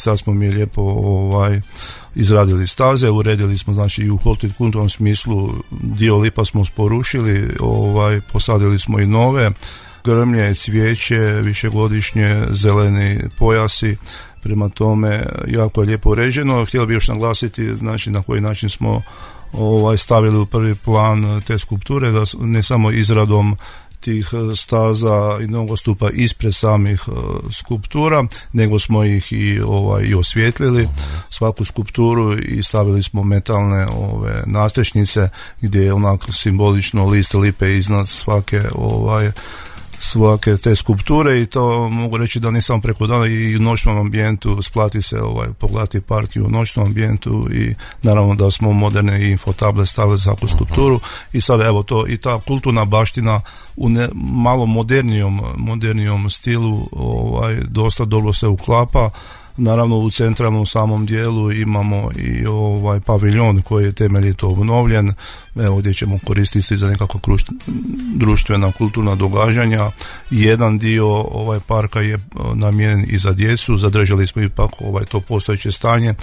sad smo mi lijepo izradili staze, uredili smo znači i u hortikulturnom smislu dio lipa smo porušili, posadili smo i nove grmlje, cvijeće, višegodišnje, zeleni pojasi, prema tome jako je lijepo uređeno. Htjeli bi još naglasiti znači na koji način smo stavili u prvi plan te skulpture, da ne samo izradom tih staza i nogostupa ispred samih skulptura, nego smo ih i osvijetlili svaku skulpturu i stavili smo metalne nastrešnice gdje je onako simbolično list lipe iznad svake te skulpture, i to mogu reći da ne samo preko dana, i u noćnom ambijentu splati se pogledati park i u noćnom ambijentu, i naravno da smo moderne infotable stavili za svaku skulpturu, i sada evo to i ta kulturna baština u malo modernijom stilu dosta dobro se uklapa. Naravno u centralnom samom dijelu imamo i paviljon koji je temeljito obnovljen, evo gdje ćemo koristiti za nekakva društvena kulturna događanja. Jedan dio parka je namijenjen i za djecu, zadržali smo ipak to postojeće stanje,